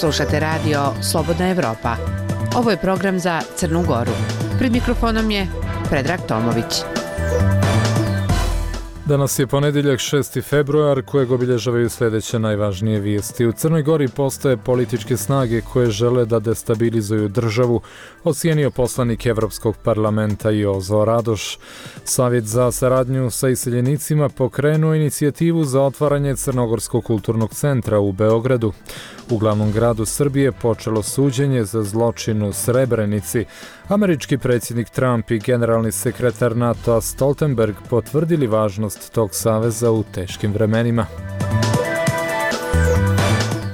Slušate radio Slobodna Evropa. Ovo je program za Crnu Goru. Pred mikrofonom je Predrag Tomović. Danas je ponedjeljak 6. februar kojeg obilježavaju sljedeće najvažnije vijesti. U Crnoj Gori postoje političke snage koje žele da destabilizuju državu, ocijenio poslanik Evropskog parlamenta Jozo Radoš. Savjet za saradnju sa iseljenicima pokrenuo inicijativu za otvaranje Crnogorskog kulturnog centra u Beogradu. U glavnom gradu Srbije počelo suđenje za zločin u Srebrenici. Američki predsjednik Trump i generalni sekretar NATO-a Stoltenberg potvrdili važnost tog saveza u teškim vremenima.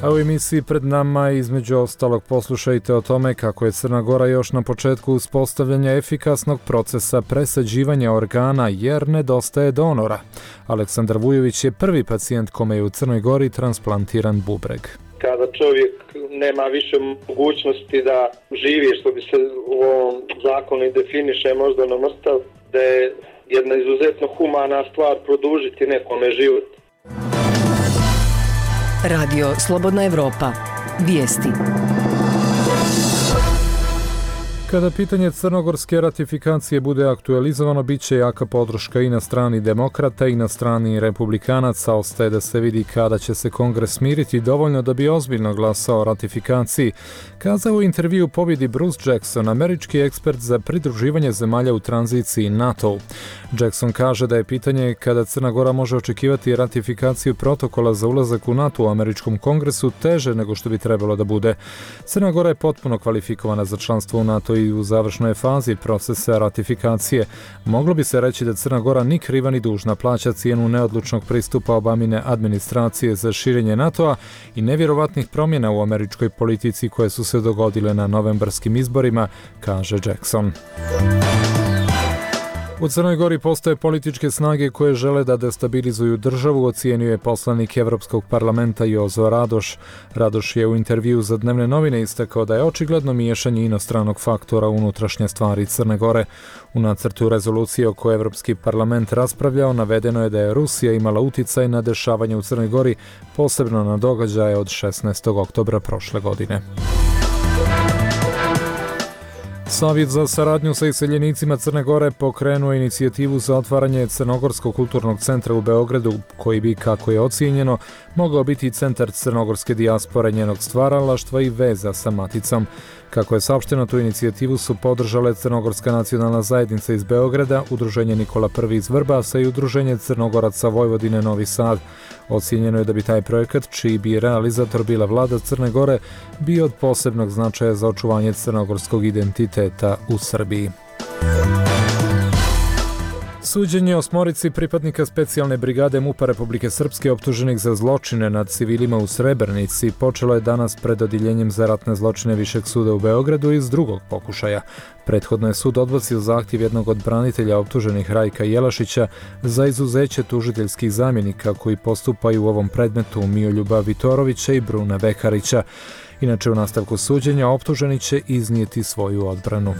A u emisiji pred nama između ostalog poslušajte o tome kako je Crna Gora još na početku uspostavljanja efikasnog procesa presađivanja organa jer nedostaje donora. Aleksandar Vujović je prvi pacijent kome je u Crnoj Gori transplantiran bubreg. Kada čovjek nema više mogućnosti da živi, što bi se u ovom zakonu i definiše moždano mrtav, da je jedna izuzetno humana stvar produžiti nekome život. Radio Slobodna Evropa. Vijesti. Kada pitanje crnogorske ratifikacije bude aktualizovano, bit će jaka podrška i na strani demokrata i na strani republikanaca. Ostaje da se vidi kada će se Kongres smiriti dovoljno da bi ozbiljno glasao o ratifikaciji. Kazao u intervju pobjedi Bruce Jackson, američki ekspert za pridruživanje zemalja u tranziciji NATO. Jackson kaže da je pitanje kada Crna Gora može očekivati ratifikaciju protokola za ulazak u NATO u američkom kongresu teže nego što bi trebalo da bude. Crna Gora je potpuno kvalifikovana za članstvo u NATO i u završnoj fazi procesa ratifikacije. Moglo bi se reći da Crna Gora ni kriva ni dužna plaća cijenu neodlučnog pristupa Obamine administracije za širenje NATO-a i nevjerovatnih promjena u američkoj politici koje su se dogodile na novembarskim izborima, kaže Jackson. U Crnoj Gori postoje političke snage koje žele da destabilizuju državu, ocijenio je poslanik Evropskog parlamenta Jozo Radoš. Radoš je u intervju za dnevne novine istakao da je očigledno miješanje inostranog faktora u unutrašnje stvari Crne Gore. U nacrtu rezolucije o kojoj Evropski parlament raspravljao navedeno je da je Rusija imala uticaj na dešavanje u Crnoj Gori, posebno na događaje od 16. oktobra prošle godine. Savjet za saradnju sa iseljenicima Crne Gore pokrenuo inicijativu za otvaranje Crnogorskog kulturnog centra u Beogradu, koji bi, kako je ocijenjeno, mogao biti centar crnogorske dijaspore, njenog stvaralaštva i veza sa maticom. Kako je saopšteno, tu inicijativu su podržale Crnogorska nacionalna zajednica iz Beograda, Udruženje Nikola I iz Vrbasa i Udruženje Crnogoraca Vojvodine Novi Sad. Ocijenjeno je da bi taj projekat, čiji bi realizator bila vlada Crne Gore, bio od posebnog značaja za očuvanje crnogorskog identiteta u Srbiji. Suđenje osmorici pripadnika specijalne brigade MUP-a Republike Srpske optuženih za zločine nad civilima u Srebrenici počelo je danas pred odjeljenjem za ratne zločine Višeg suda u Beogradu iz drugog pokušaja. Prethodno je sud odbacio zahtjev jednog od branitelja optuženih Rajka Jelašića za izuzeće tužiteljskih zamjenika koji postupaju u ovom predmetu Mijoljuba Vitorovića i Bruna Bekarića. Inače, u nastavku suđenja optuženi će iznijeti svoju odbranu.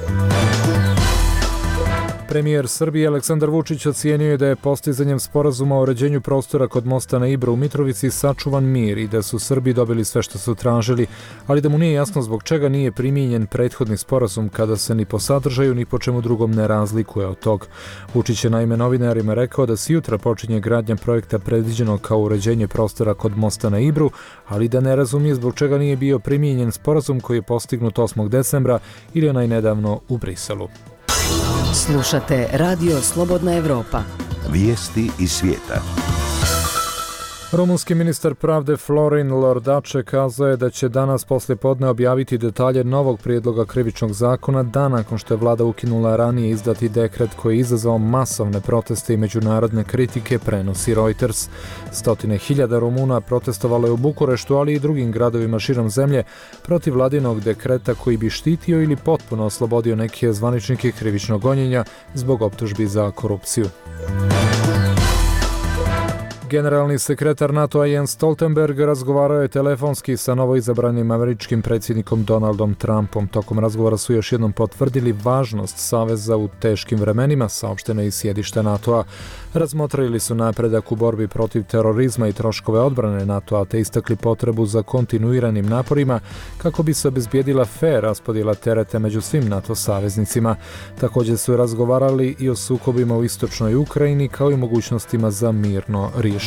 Premijer Srbije Aleksandar Vučić ocijenio je da je postizanjem sporazuma o uređenju prostora kod mosta na Ibru u Mitrovici sačuvan mir i da su Srbi dobili sve što su tražili, ali da mu nije jasno zbog čega nije primijenjen prethodni sporazum kada se ni po sadržaju ni po čemu drugom ne razlikuje od tog. Vučić je naime novinarima rekao da se jutra počinje gradnja projekta predviđeno kao uređenje prostora kod mosta na Ibru, ali da ne razumije zbog čega nije bio primijenjen sporazum koji je postignut 8. decembra ili onaj nedavno u Briselu. Slušate Radio Slobodna Evropa. Vijesti iz svijeta. Rumunski ministar pravde Florin Lordače kazao je da će danas poslijepodne objaviti detalje novog prijedloga krivičnog zakona dan nakon što je vlada ukinula ranije izdati dekret koji je izazvao masovne proteste i međunarodne kritike, prenosi Reuters. Stotine hiljada Rumuna protestovalo je u Bukureštu, ali i drugim gradovima širom zemlje protiv vladinog dekreta koji bi štitio ili potpuno oslobodio neke zvaničnike krivičnog gonjenja zbog optužbi za korupciju. Generalni sekretar NATO-a Jens Stoltenberg razgovarao je telefonski sa novoizabranim američkim predsjednikom Donaldom Trumpom. Tokom razgovora su još jednom potvrdili važnost saveza u teškim vremenima, saopšteno iz sjedišta NATO-a. Razmotrili su napredak u borbi protiv terorizma i troškove odbrane NATO-a, te istakli potrebu za kontinuiranim naporima kako bi se obezbijedila fer raspodjela tereta među svim NATO saveznicima. Također su razgovarali i o sukobima u istočnoj Ukrajini, kao i mogućnostima za mirno rješenje.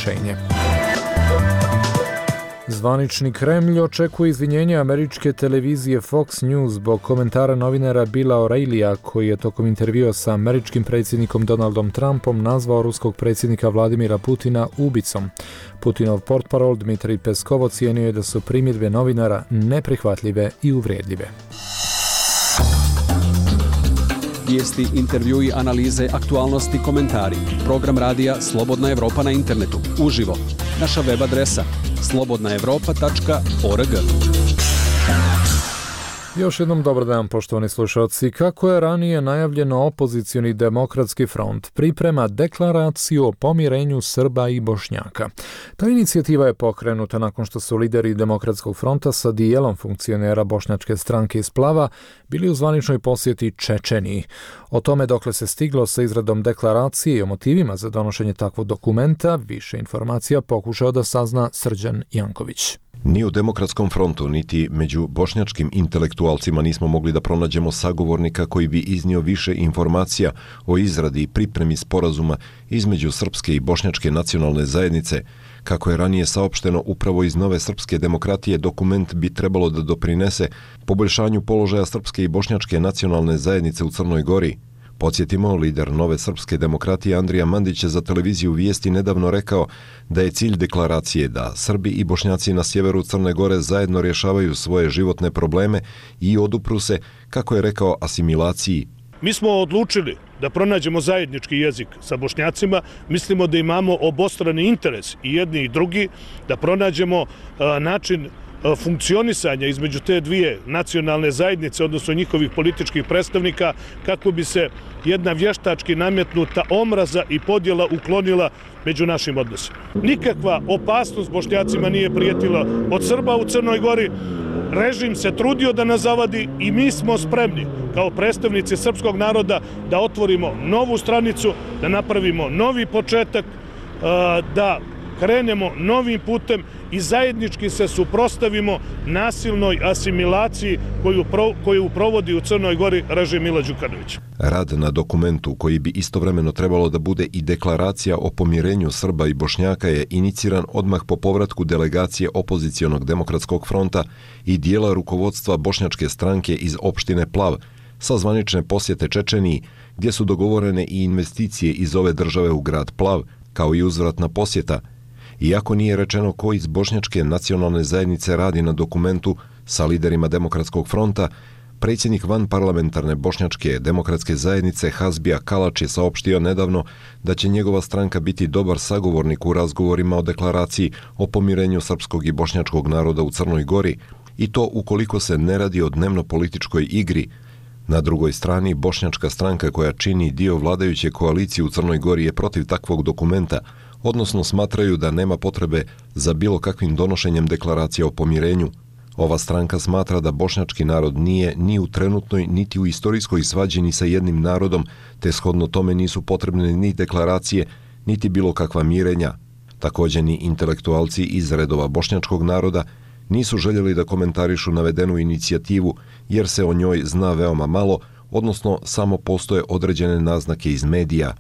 Zvanični Kremlj očekuje izvinjenje američke televizije Fox News zbog komentara novinara Billa O'Reillya, koji je tokom intervjua sa američkim predsjednikom Donaldom Trumpom nazvao ruskog predsjednika Vladimira Putina ubicom. Putinov portparol Dmitrij Peskov ocijenio je da su primjedbe novinara neprihvatljive i uvredljive. Vijesti, intervjui, analize, aktualnosti, komentari. Program radija Slobodna Evropa na internetu. Uživo. Naša web adresa slobodnaevropa.org. Još jednom dobar dan, poštovani slušalci. Kako je ranije najavljeno, opozicioni demokratski front priprema deklaraciju o pomirenju Srba i Bošnjaka. Ta inicijativa je pokrenuta nakon što su lideri demokratskog fronta sa dijelom funkcionera bošnjačke stranke iz Plava bili u zvaničnoj posjeti Čečeniji. O tome dokle se stiglo sa izradom deklaracije i o motivima za donošenje takvog dokumenta, više informacija pokušao da sazna Srđan Janković. Ni u Demokratskom frontu, niti među bošnjačkim intelektualcima nismo mogli da pronađemo sagovornika koji bi iznio više informacija o izradi i pripremi sporazuma između srpske i bošnjačke nacionalne zajednice. Kako je ranije saopšteno, upravo iz Nove srpske demokratije dokument bi trebalo da doprinese poboljšanju položaja srpske i bošnjačke nacionalne zajednice u Crnoj Gori. Podsjetimo, lider Nove srpske demokratije Andrija Mandić je za televiziju Vijesti nedavno rekao da je cilj deklaracije da Srbi i Bošnjaci na sjeveru Crne Gore zajedno rješavaju svoje životne probleme i odupru se, kako je rekao, asimilaciji. Mi smo odlučili da pronađemo zajednički jezik sa Bošnjacima, mislimo da imamo obostrani interes i jedni i drugi, da pronađemo način funkcionisanja između te dvije nacionalne zajednice, odnosno njihovih političkih predstavnika, kako bi se jedna vještački nametnuta omraza i podjela uklonila među našim odnosima. Nikakva opasnost Bošnjacima nije prijetila od Srba u Crnoj Gori. Režim se trudio da nas zavadi i mi smo spremni kao predstavnici srpskog naroda da otvorimo novu stranicu, da napravimo novi početak, da krenemo novim putem i zajednički se suprotstavimo nasilnoj asimilaciji koju provodi u Crnoj Gori režim Mila Đukanovića. Rad na dokumentu, koji bi istovremeno trebalo da bude i deklaracija o pomirenju Srba i Bošnjaka, je iniciran odmah po povratku delegacije opozicionog demokratskog fronta i dijela rukovodstva bošnjačke stranke iz opštine Plav sa zvanične posjete Čečeniji, gdje su dogovorene i investicije iz ove države u grad Plav, kao i uzvratna posjeta. Iako nije rečeno ko iz bošnjačke nacionalne zajednice radi na dokumentu sa liderima Demokratskog fronta, predsjednik vanparlamentarne bošnjačke demokratske zajednice Hazbija Kalač je saopštio nedavno da će njegova stranka biti dobar sagovornik u razgovorima o deklaraciji o pomirenju srpskog i bošnjačkog naroda u Crnoj Gori, i to ukoliko se ne radi o dnevno-političkoj igri. Na drugoj strani, bošnjačka stranka koja čini dio vladajuće koalicije u Crnoj Gori je protiv takvog dokumenta, odnosno smatraju da nema potrebe za bilo kakvim donošenjem deklaracije o pomirenju. Ova stranka smatra da bošnjački narod nije ni u trenutnoj niti u istorijskoj svađi ni sa jednim narodom, te shodno tome nisu potrebne ni deklaracije, niti bilo kakva mirenja. Također ni intelektualci iz redova bošnjačkog naroda nisu željeli da komentarišu navedenu inicijativu, jer se o njoj zna veoma malo, odnosno samo postoje određene naznake iz medija.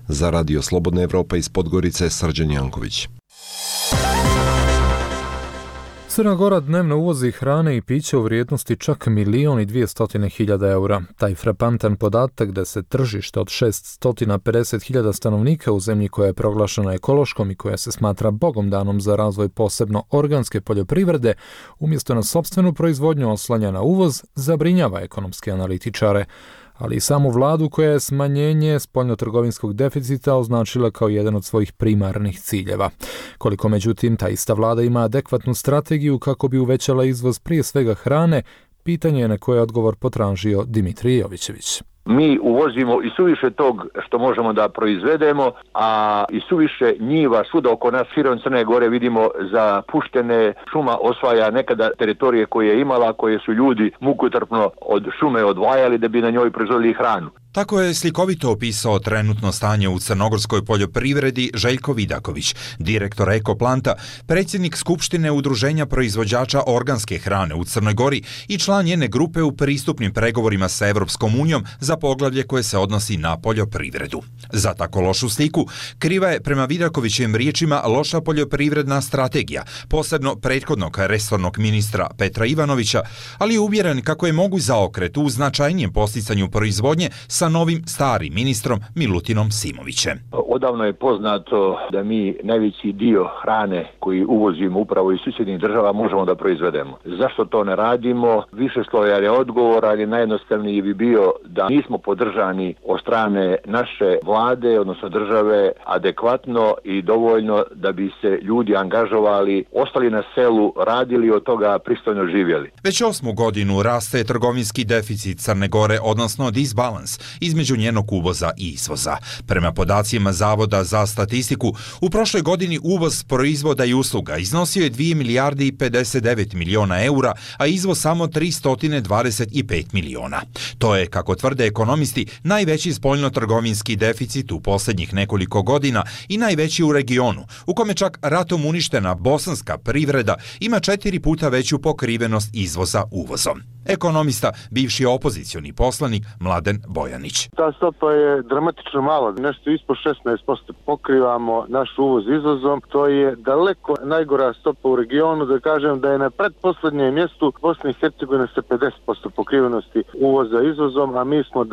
Za Radio Slobodna Evropa iz Podgorice, Srđan Janković. Crna Gora dnevno uvozi hrane i piće u vrijednosti čak 1.200.000 eura. Taj frapantan podatak da se tržište od 650.000 stanovnika u zemlji koja je proglašena ekološkom i koja se smatra bogom danom za razvoj posebno organske poljoprivrede, umjesto na sopstvenu proizvodnju oslanja na uvoz, zabrinjava ekonomske analitičare, ali i samu vladu koja je smanjenje spoljnotrgovinskog deficita označila kao jedan od svojih primarnih ciljeva. Koliko međutim ta ista vlada ima adekvatnu strategiju kako bi uvećala izvoz prije svega hrane, pitanje je na koje je odgovor potražio Dimitrij Jovićević. Mi uvozimo i suviše tog što možemo da proizvedemo, a i suviše njiva svuda oko nas, širom Crne Gore vidimo zapuštene, šuma osvaja nekada teritorije koje je imala, koje su ljudi mukotrpno od šume odvajali da bi na njoj proizvodili hranu. Tako je slikovito opisao trenutno stanje u crnogorskoj poljoprivredi Željko Vidaković, direktor Ekoplanta, predsjednik Skupštine Udruženja proizvođača organske hrane u Crnoj Gori i član njene grupe u pristupnim pregovorima sa Evropskom unijom za poglavlje koje se odnosi na poljoprivredu. Za tako lošu sliku kriva je, prema Vidakovićevim riječima, loša poljoprivredna strategija, posebno prethodnog resornog ministra Petra Ivanovića, ali je uvjeren kako je moguć zaokret u značajnijem posticanju proizvodnje sa novim starim ministrom Milutinom Simovićem. Odavno je poznato da mi najveći dio hrane koji uvozimo upravo iz susjednih država možemo da proizvedemo. Zašto to ne radimo? Višeslojan je odgovor, ali najjednostavniji bi bio da nismo podržani od strane naše vlade, odnosno države, adekvatno i dovoljno da bi se ljudi angažovali, ostali na selu, radili, od toga pristojno živjeli. Već 8. godinu raste trgovinski deficit Crne Gore, odnosno disbalans između njenog uvoza i izvoza. Prema podacima Zavoda za statistiku, u prošloj godini uvoz proizvoda i usluga iznosio je 2 milijarde i 59 miliona eura, a izvoz samo 325 miliona. To je, kako tvrde ekonomisti, najveći spoljno-trgovinski deficit u posljednjih nekoliko godina i najveći u regionu, u kome čak ratom uništena bosanska privreda ima 4 puta veću pokrivenost izvoza uvozom. Ekonomista, bivši opozicioni poslanik Mladen Bojanić. Ta stopa je dramatično mala, nešto ispod 16% pokrivamo naš uvoz izvozom. To je daleko najgora stopa u regionu, da kažem da je na pretposlednjem mjestu Bosna i Hercegovina sa 50% pokrivenosti uvoza izvozom, a mi smo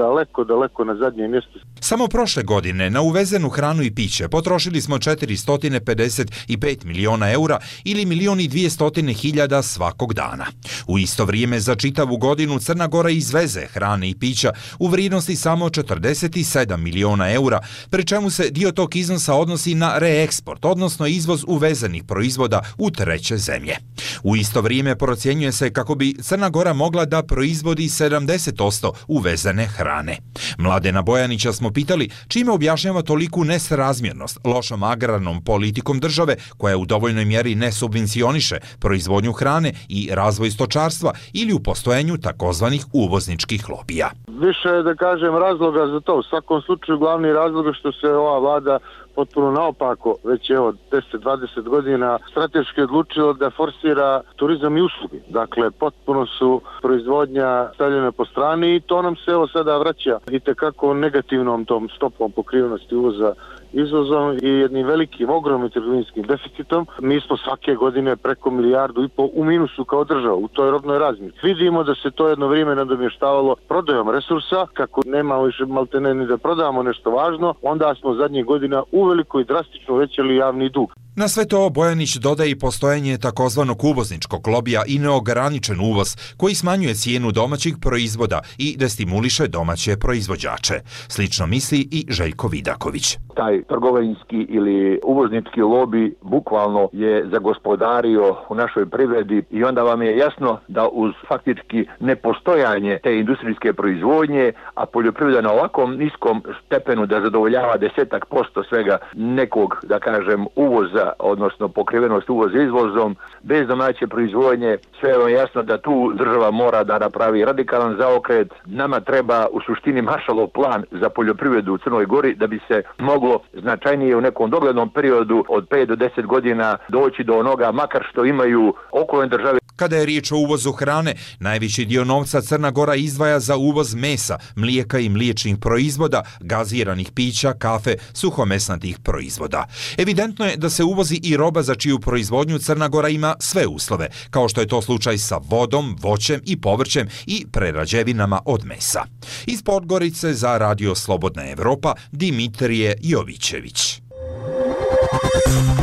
daleko na zadnjem mjestu. Samo prošle godine na uvezenu hranu i piće potrošili smo 455 miliona eura ili 1.200.000 svakog dana. U isto vrijeme za čitavu godinu Crna Gora izveze hrane i pića u vrijednosti samo 47 miliona eura, pri čemu se dio tog iznosa odnosi na reeksport, odnosno izvoz uvezenih proizvoda u treće zemlje. U isto vrijeme procjenjuje se kako bi Crna Gora mogla da proizvodi 70% uvezene hrane. Mladena Bojanića smo pitali čime objašnjava toliku nesrazmjernost lošom agrarnom politikom države koja u dovoljnoj mjeri ne subvencioniše proizvodnju hrane i razvoj stočarstva ili u postojenju takozvanih uvozničkih lobija. Više je, da kažem, razloga za to. U svakom slučaju glavni razlog je što se ova vlada potpuno naopako, već evo 10-20 godina strateški odlučilo da forsira turizam i usluge. Dakle, potpuno su proizvodnja stavljena po strani i to nam se evo sada vraća itekako negativnom tom stopom pokrivenosti uvoza izvozom i jednim velikim, ogromnim trgovinskim deficitom. Mi smo svake godine preko 1,5 milijardu u minusu kao država u toj robnoj razmjeni. Vidimo da se to jedno vrijeme nadomještavalo prodajom resursa, kako nemamo više maltene ni da prodamo nešto važno, onda smo zadnjih godina uveliko i drastično uvećali javni dug. Na sve to Bojanić dodaje i postojanje takozvanog uvozničkog lobija i neograničen uvoz koji smanjuje cijenu domaćih proizvoda i destimuliše domaće proizvođače. Slično misli i Željko Vidaković. Taj trgovinski ili uvoznički lobi bukvalno je zagospodario u našoj privredi i onda vam je jasno da uz faktički nepostojanje te industrijske proizvodnje, a poljoprivreda na ovakvom niskom stepenu da zadovoljava 10% svega nekog, da kažem, uvoza, odnosno pokrivenost uvoza izvozom, bez domaće proizvodnje, sve je jasno da tu država mora da napravi radikalan zaokret. Nama treba u suštini Maršalov plan za poljoprivredu u Crnoj Gori da bi se moglo značajnije u nekom doglednom periodu od 5 do 10 godina doći do onoga makar što imaju okolne države. Kada je riječ o uvozu hrane, najveći dio novca Crna Gora izdvaja za uvoz mesa, mlijeka i mliječnih proizvoda, gaziranih pića, kafe, suhomesnatih proizvoda. Evidentno je da se uvozi i roba za čiju proizvodnju Crna Gora ima sve uslove, kao što je to slučaj sa vodom, voćem i povrćem i prerađevinama od mesa. Iz Podgorice za Radio Slobodna Evropa, Dimitrije Jovićević.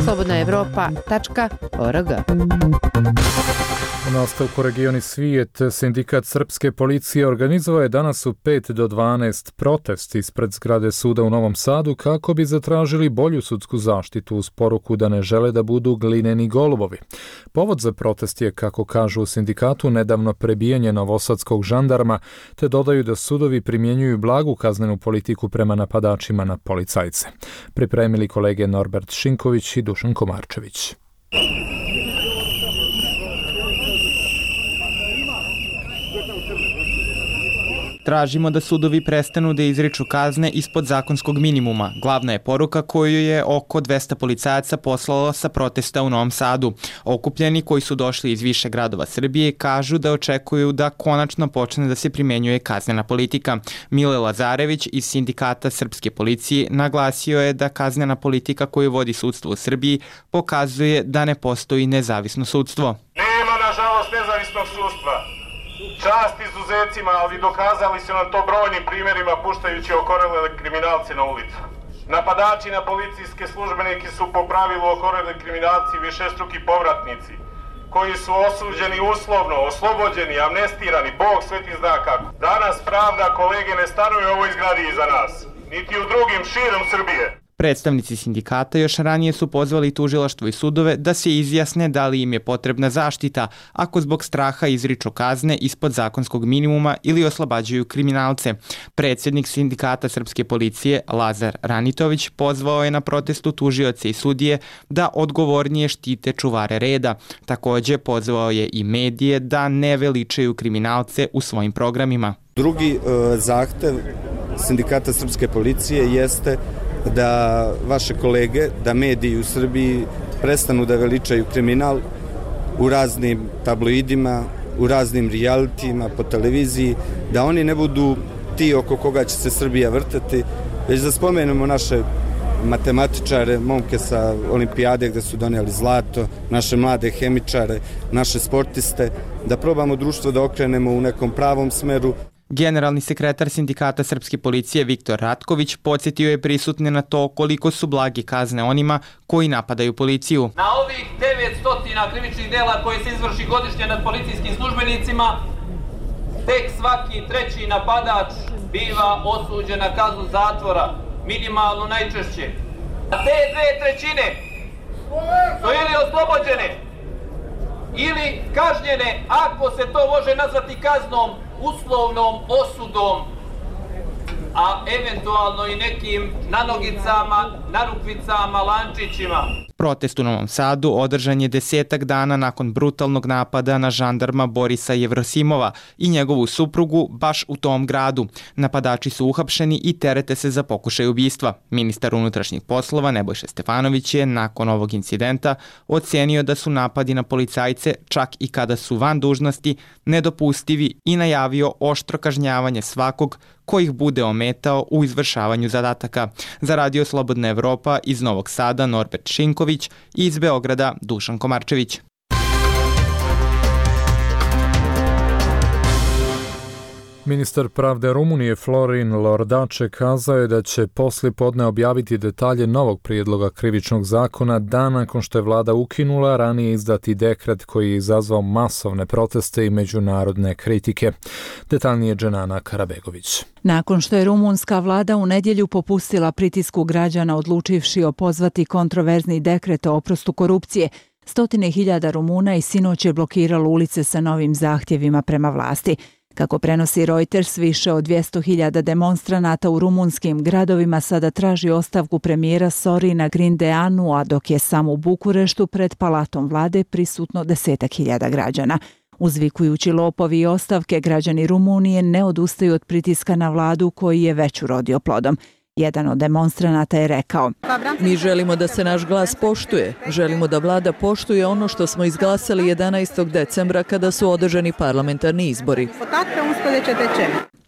slobodnaevropa.org. U nastavku Regioni svijet, sindikat srpske policije organizovao je danas u 5 do 12 protest ispred zgrade suda u Novom Sadu kako bi zatražili bolju sudsku zaštitu uz poruku da ne žele da budu glineni golubovi. Povod za protest je, kako kažu u sindikatu, nedavno prebijanje novosadskog žandarma, te dodaju da sudovi primjenjuju blagu kaznenu politiku prema napadačima na policajce. Pripremili kolege Norbert Šinković i Dušan Komarčević. Tražimo da sudovi prestanu da izriču kazne ispod zakonskog minimuma. Glavna je poruka koju je oko 200 policajaca poslalo sa protesta u Novom Sadu. Okupljeni koji su došli iz više gradova Srbije kažu da očekuju da konačno počne da se primenjuje kaznena politika. Mile Lazarević iz sindikata srpske policije naglasio je da kaznena politika koju vodi sudstvo u Srbiji pokazuje da ne postoji nezavisno sudstvo. Nema, nažalost, nezavisnog sudstva. Čast izuzecima, ali dokazali su nam to brojnim primjerima puštajući okorele kriminalce na ulicu. Napadači na policijske službenike su po pravilu okoreli kriminalci višestruki povratnici, koji su osuđeni uslovno, oslobođeni, amnestirani, Bog sveti zna kako. Danas pravda, kolege, ne stanuje u ovoj zgradi iza nas, niti u drugim širom Srbije. Predstavnici sindikata još ranije su pozvali tužilaštvo i sudove da se izjasne da li im je potrebna zaštita ako zbog straha izriču kazne ispod zakonskog minimuma ili oslobađaju kriminalce. Predsjednik sindikata srpske policije Lazar Ranitović pozvao je na protestu tužioce i sudije da odgovornije štite čuvare reda. Također pozvao je i medije da ne veličaju kriminalce u svojim programima. Drugi zahtev sindikata srpske policije jeste da vaše kolege, da mediji u Srbiji prestanu da veličaju kriminal u raznim tabloidima, u raznim realitijima, po televiziji, da oni ne budu ti oko koga će se Srbija vrtati, već da spomenemo naše matematičare, momke sa olimpijade gde su donijeli zlato, naše mlade hemičare, naše sportiste, da probamo društvo da okrenemo u nekom pravom smeru. Generalni sekretar sindikata srpske policije Viktor Ratković podsjetio je prisutne na to koliko su blage kazne onima koji napadaju policiju. Na ovih 900 krivičnih dela koje se izvrši godišnje nad policijskim službenicima, tek svaki treći napadač biva osuđen na kaznu zatvora, minimalno najčešće. A te 2/3 su ili oslobođene ili kažnjene, ako se to može nazvati kaznom, uslovnom osudom, a eventualno i nekim nanogicama, narukvicama, lančićima. Protest u Novom Sadu održan je 10 dana nakon brutalnog napada na žandarma Borisa Jevrosimova i njegovu suprugu baš u tom gradu. Napadači su uhapšeni i terete se za pokušaj ubistva. Ministar unutrašnjih poslova Nebojša Stefanović je nakon ovog incidenta ocenio da su napadi na policajce, čak i kada su van dužnosti, nedopustivi i najavio oštro kažnjavanje svakog ko ih bude ometao u izvršavanju zadataka. Za Radio Slobodna Evropa iz Novog Sada Norbert Šinković i iz Beograda Dušan Komarčević. Ministar pravde Rumunije Florin Lordače kazao je da će poslijepodne objaviti detalje novog prijedloga krivičnog zakona dan nakon što je vlada ukinula ranije izdati dekret koji je izazvao masovne proteste i međunarodne kritike. Detaljnije Dženana Karabegović. Nakon što je rumunska vlada u nedjelju popustila pritisku građana odlučivši opozvati kontroverzni dekret o oprostu korupcije, stotine hiljada Rumuna i sinoć je blokiralo ulice sa novim zahtjevima prema vlasti. Kako prenosi Reuters, više od 200.000 demonstranata u rumunskim gradovima sada traži ostavku premijera Sorina Grindeanu, a dok je samo u Bukureštu pred palatom vlade prisutno 10.000 građana. Uzvikujući lopovi i ostavke, građani Rumunije ne odustaju od pritiska na vladu koji je već urodio plodom. Jedan od demonstranata je rekao: Mi želimo da se naš glas poštuje. Želimo da vlada poštuje ono što smo izglasali 11. decembra kada su održani parlamentarni izbori.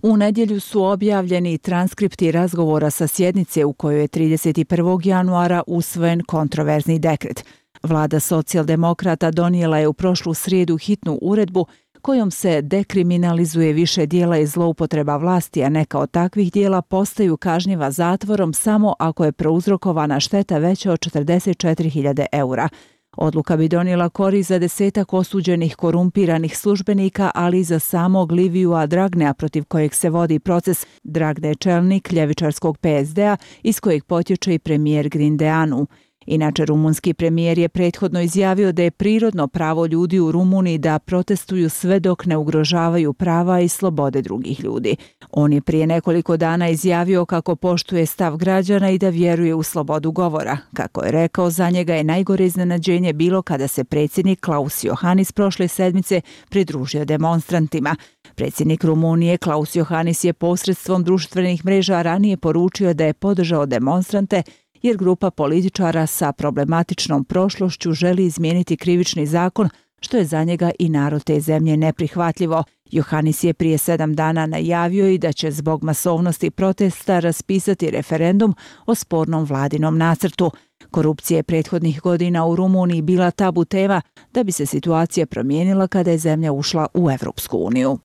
U nedjelju su objavljeni transkripti razgovora sa sjednice u kojoj je 31. januara usvojen kontroverzni dekret. Vlada socijaldemokrata donijela je u prošlu srijedu hitnu uredbu kojom se dekriminalizuje više dijela i zloupotreba vlasti, a neka od takvih dijela postaju kažnjiva zatvorom samo ako je prouzrokovana šteta veća od 44.000 eura. Odluka bi donijela korist za 10 osuđenih korumpiranih službenika, ali i za samog Livijua Dragnea, protiv kojeg se vodi proces. Dragne je čelnik ljevičarskog PSD-a iz kojeg potječe i premijer Grindeanu. Inače, rumunski premijer je prethodno izjavio da je prirodno pravo ljudi u Rumuniji da protestuju sve dok ne ugrožavaju prava i slobode drugih ljudi. On je prije nekoliko dana izjavio kako poštuje stav građana i da vjeruje u slobodu govora. Kako je rekao, za njega je najgore iznenađenje bilo kada se predsjednik Klaus Johannis prošle sedmice pridružio demonstrantima. Predsjednik Rumunije Klaus Johannis je posredstvom društvenih mreža ranije poručio da je podržao demonstrante jer grupa političara sa problematičnom prošlošću želi izmijeniti krivični zakon, što je za njega i narod te zemlje neprihvatljivo. Johannis je prije 7 dana najavio i da će zbog masovnosti protesta raspisati referendum o spornom vladinom nacrtu. Korupcija je prethodnih godina u Rumuniji bila tabu tema, da bi se situacija promijenila kada je zemlja ušla u Evropsku uniju.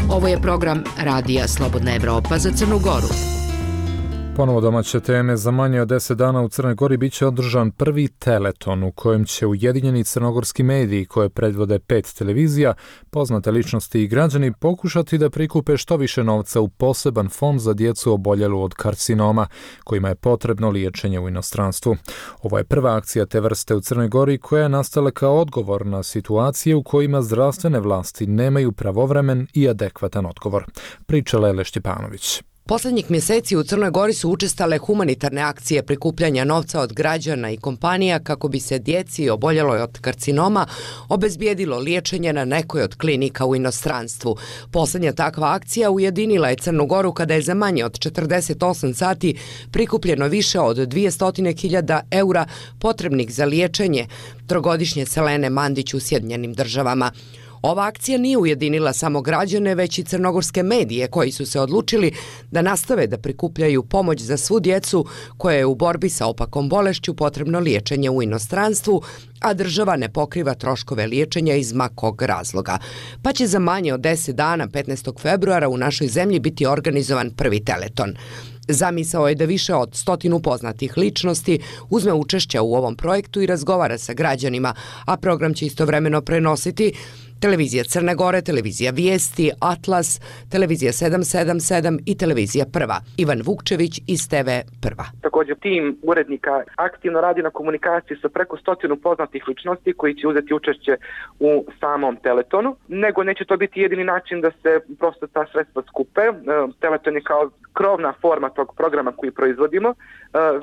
Ovo je program Radija Slobodna Evropa za Crnu Goru. Ponovo domaće teme. Za manje od 10 dana u Crnoj Gori biće održan prvi teleton u kojem će ujedinjeni crnogorski mediji koje predvode 5 televizija, poznate ličnosti i građani pokušati da prikupe što više novca u poseban fond za djecu oboljelu od karcinoma, kojima je potrebno liječenje u inostranstvu. Ovo je prva akcija te vrste u Crnoj Gori koja je nastala kao odgovor na situacije u kojima zdravstvene vlasti nemaju pravovremen i adekvatan odgovor. Priča Lele Štjepanović. Poslednjih mjeseci u Crnoj Gori su učestale humanitarne akcije prikupljanja novca od građana i kompanija kako bi se djeci oboljeloj od karcinoma obezbijedilo liječenje na nekoj od klinika u inostranstvu. Posljednja takva akcija ujedinila je Crnu Goru kada je za manje od 48 sati prikupljeno više od 200.000 eura potrebnih za liječenje trogodišnje Selene Mandić u Sjedinjenim Državama. Ova akcija nije ujedinila samo građane, već i crnogorske medije koji su se odlučili da nastave da prikupljaju pomoć za svu djecu koja je u borbi sa opakom bolešću potrebno liječenje u inostranstvu, a država ne pokriva troškove liječenja iz ma kog razloga. Pa će za manje od 10 dana, 15. februara, u našoj zemlji biti organizovan prvi teleton. Zamisao je da više od 100 poznatih ličnosti uzme učešće u ovom projektu i razgovara sa građanima, a program će istovremeno prenositi Televizija Crne Gore, Televizija Vijesti, Atlas, Televizija 777 i Televizija Prva. Ivan Vukčević iz TV Prva. Također tim urednika aktivno radi na komunikaciji sa preko 100 poznatih ličnosti koji će uzeti učešće u samom teletonu, nego neće to biti jedini način da se prosto ta sredstva skupe. Teleton je kao krovna forma tog programa koji proizvodimo,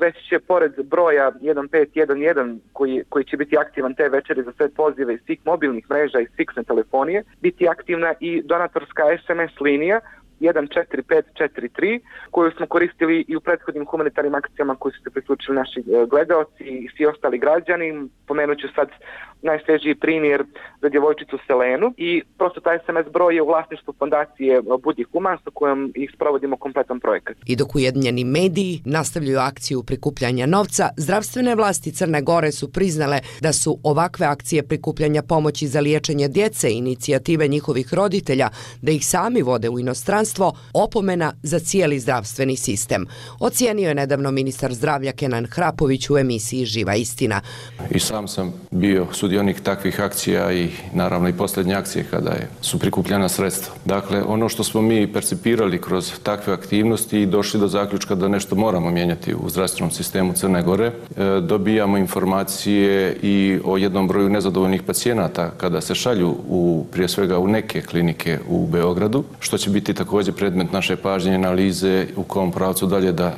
već će pored broja 1511 koji će biti aktivan te večeri za sve pozive iz svih mobilnih mreža i fiksne telefonije, biti aktivna i donatorska SMS linija 14543 koju smo koristili i u prethodnim humanitarnim akcijama koji su se priključili naši gledaoci i svi ostali građani. Pomenut ću sad najsvježiji primjer za djevojčicu Selenu i prosto taj SMS broj je u vlasništvu fondacije Budi Human sa kojom ih sprovodimo kompletan projekat. I dok ujedinjeni mediji nastavljaju akciju prikupljanja novca, zdravstvene vlasti Crne Gore su priznale da su ovakve akcije prikupljanja pomoći za liječenje djece i inicijative njihovih roditelja da ih sami vode u inostranstvo opomena za cijeli zdravstveni sistem. Ocijenio je nedavno ministar zdravlja Kenan Hrapović u emisiji Živa istina. I sam sam bio sudionik takvih akcija i naravno i posljednje akcije kada su prikupljena sredstva. Dakle, ono što smo mi percipirali kroz takve aktivnosti i došli do zaključka da nešto moramo mijenjati u zdravstvenom sistemu Crne Gore, dobijamo informacije i o jednom broju nezadovoljnih pacijenata kada se šalju prije svega u neke klinike u Beogradu, što će biti također predmet naše pažnje, analize u kom pravcu dalje da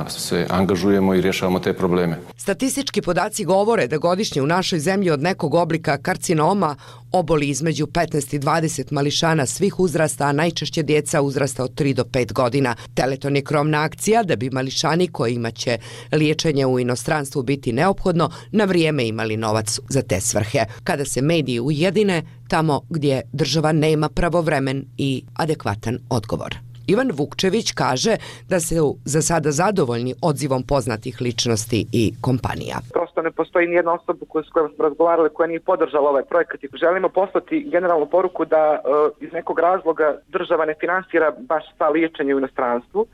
se angažujemo i rješavamo te probleme. Statistički podaci govore da godišnje u našoj zemlji od nekog oblika karcinoma oboli između 15 i 20 mališana svih uzrasta, a najčešće djeca uzrasta od 3 do 5 godina. Teleton je krovna akcija da bi mališani kojima će liječenje u inostranstvu biti neophodno na vrijeme imali novac za te svrhe. Kada se mediji ujedine tamo gdje država nema pravovremen i adekvatan odgovor. Ivan Vukčević kaže da se za sada zadovoljni odzivom poznatih ličnosti i kompanija. Prosto ne postoji nijedna osoba s kojom smo razgovarali koja nije podržala ovaj projekat i želimo poslati generalnu poruku da iz nekog razloga država ne finansira baš sva liječenje u inostranstvu.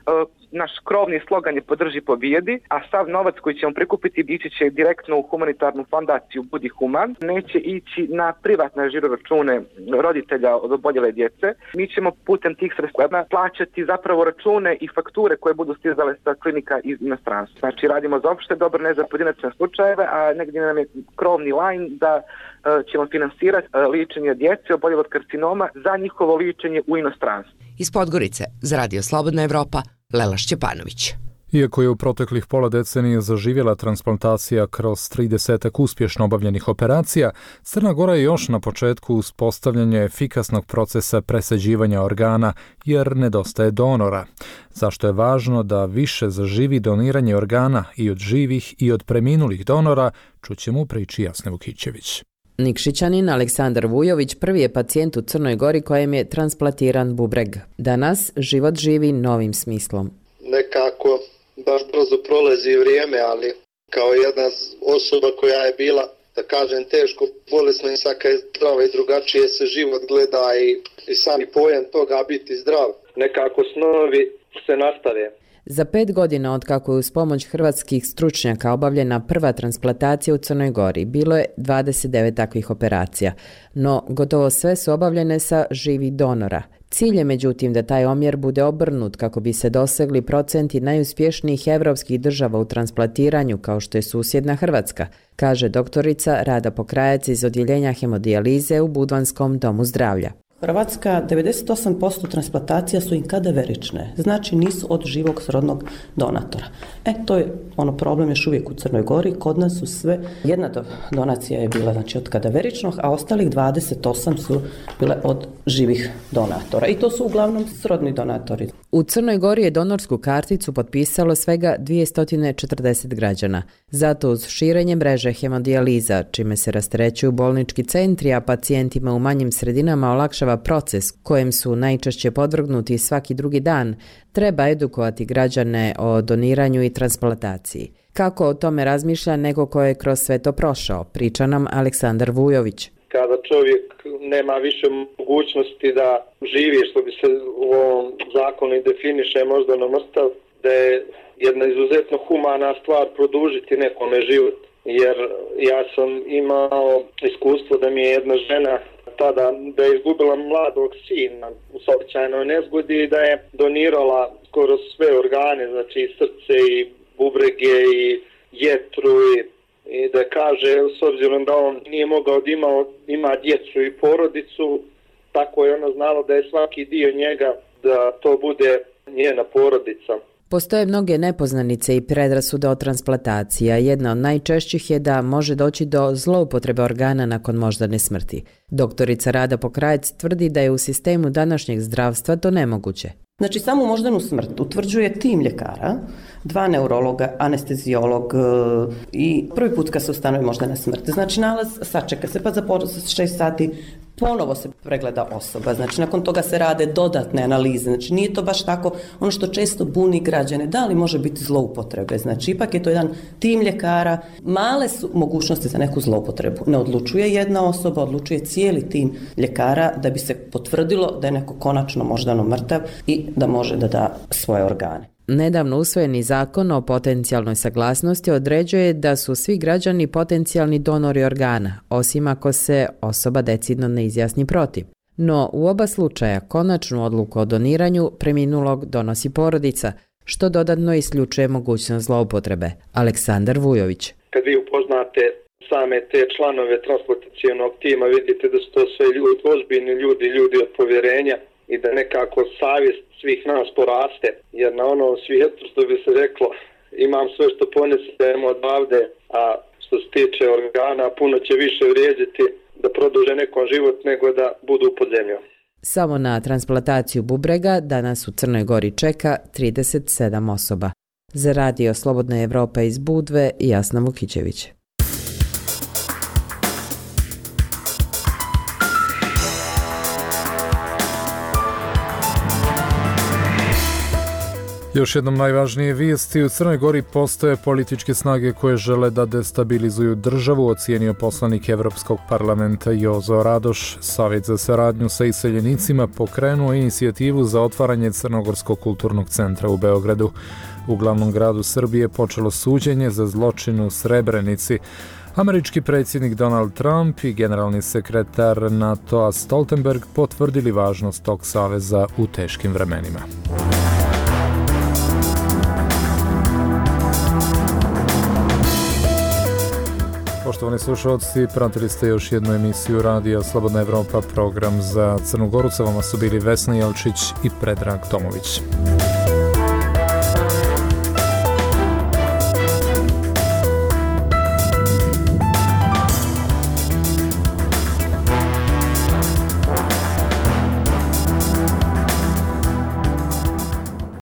Naš krovni slogan je podrži pobijedi, a sav novac koji ćemo prikupiti ići će direktno u humanitarnu fondaciju Budi Human. Neće ići na privatne žiroračune roditelja od oboljele djece. Mi ćemo putem tih sredstava plaćati zapravo račune i fakture koje budu stizale sa klinika iz inostranstva. Znači radimo za opšte dobro, ne za pojedinačne slučajeve, a negdje nam je krovni line da ćemo finansirati liječenje djece oboljele od karcinoma za njihovo liječenje u inostranstvu. Iz Podgorice za Radio Slobodna Evropa, Lela Šćepanović. Iako je u proteklih pola decenije zaživjela transplantacija kroz 30 uspješno obavljenih operacija, Crna Gora je još na početku uspostavljanja efikasnog procesa presađivanja organa jer nedostaje donora. Zašto je važno da više zaživi doniranje organa i od živih i od preminulih donora, čućemo u priči Jasne Vukićević. Nikšićanin Aleksandar Vujović prvi je pacijent u Crnoj Gori kojem je transplantiran bubreg. Danas život živi novim smislom. Nekako baš brzo prolazi vrijeme, ali kao jedna osoba koja je bila, da kažem, teško bolesna i svaka je zdrava i drugačije se život gleda i sami pojam toga biti zdrav. Nekako snovi se nastave. Za 5 godina od kako je uz pomoć hrvatskih stručnjaka obavljena prva transplantacija u Crnoj Gori, bilo je 29 takvih operacija, no gotovo sve su obavljene sa živih donora. Cilj je međutim da taj omjer bude obrnut kako bi se dosegli procenti najuspješnijih evropskih država u transplantiranju kao što je susjedna Hrvatska, kaže doktorica Rada Pokrajac iz odjeljenja hemodijalize u Budvanskom domu zdravlja. Hrvatska 98% transplantacija su im kadaverične, znači nisu od živog srodnog donatora. To je problem još uvijek u Crnoj Gori, kod nas su sve, jedna donacija je bila znači od kadaveričnog, a ostalih 28 su bile od živih donatora i to su uglavnom srodni donatori. U Crnoj Gori je donorsku karticu potpisalo svega 240 građana. Zato uz širenje mreže hemodijaliza, čime se rasterećuju bolnički centri, a pacijentima u manjim sredinama olakšava proces kojem su najčešće podvrgnuti svaki drugi dan, treba edukovati građane o doniranju i transplantaciji. Kako o tome razmišlja neko ko je kroz sve to prošao, priča nam Aleksandar Vujović. Kada čovjek nema više mogućnosti da živi, što bi se u ovom zakonu i definiše možda na mrtav, da je jedna izuzetno humana stvar produžiti nekome život. Jer ja sam imao iskustvo da mi je jedna žena tada da je izgubila mladog sina u saobraćajnoj nezgodi i da je donirala skoro sve organe, znači i srce i bubrege i jetru i da kaže, s obzirom da on nije mogao da ima djecu i porodicu, tako je ona znala da je svaki dio njega da to bude njena porodica. Postoje mnoge nepoznanice i predrasude o transplantaciji, a jedna od najčešćih je da može doći do zloupotrebe organa nakon moždane smrti. Doktorica Rada Pokrajac tvrdi da je u sistemu današnjeg zdravstva to nemoguće. Znači, samu moždanu smrt utvrđuje tim ljekara, 2 neurologa, anestezijolog i prvi put kad se ustanovi moždana smrt. Znači, nalaz sačeka se, pa za 6 sati ponovo se pregleda osoba. Znači, nakon toga se rade dodatne analize. Znači, nije to baš tako ono što često buni građane. Da li može biti zloupotrebe? Znači, ipak je to jedan tim ljekara. Male su mogućnosti za neku zloupotrebu. Ne odlučuje jedna osoba, odlučuje cijeli tim ljekara da bi se potvrdilo da je neko konačno moždano mrtav i da može da da svoje organe. Nedavno usvojeni zakon o potencijalnoj saglasnosti određuje da su svi građani potencijalni donori organa, osim ako se osoba decidno ne izjasni protiv. No, u oba slučaja konačnu odluku o doniranju preminulog donosi porodica, što dodatno isključuje mogućnost zloupotrebe. Aleksandar Vujović. Kad vi upoznate same te članove transplantacionog tima, vidite da su to sve ljudi, ozbiljni ljudi od povjerenja i da nekako savjest svih nas poraste, jer na onom svijetu, što bi se reklo, imam sve što ponesem odavde, a što se tiče organa, puno će više vrijediti da produže nekom život nego da budu pod zemljom. Samo na transplantaciju bubrega danas u Crnoj Gori čeka 37 osoba. Za Radio Slobodna Evropa iz Budve, Jasna Vukićević. Još jednom najvažnije vijesti. U Crnoj Gori postoje političke snage koje žele da destabilizuju državu, ocijenio poslanik Evropskog parlamenta Jozo Radoš. Savjet za saradnju sa iseljenicima pokrenuo inicijativu za otvaranje Crnogorskog kulturnog centra u Beogradu. U glavnom gradu Srbije počelo suđenje za zločin u Srebrenici. Američki predsjednik Donald Trump i generalni sekretar NATO-a Stoltenberg potvrdili važnost tog saveza u teškim vremenima. Poštovani slušalci, pratili ste još jednu emisiju Radija Slobodna Evropa, program za Crnu Goru. Sa vama su bili Vesna Jelčić i Predrag Tomović.